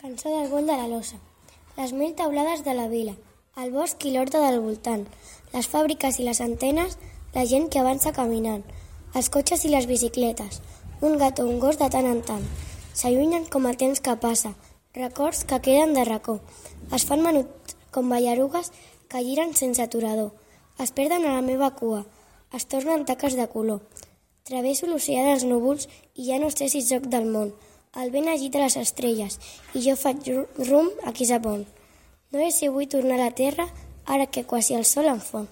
Cançó del vol de la losa. Les mil teulades de la vila, el bosc i l'horta del voltant, les fàbriques i les antenes, la gent que avança caminant, els cotxes i les bicicletes, un gat o un gos de tant en tant. S'allunyen com el temps que passa, records que queden de racó. Es fan menuts com ballarugues que giren sense aturador. Es perden a la meva cua, es tornen taques de color. Travesso l'oceà dels núvols i ja no sé si sóc del món. El vent agita les estrelles i jo faig rumb a qui sap on. No sé si vull tornar a la terra ara que quasi el sol em fon.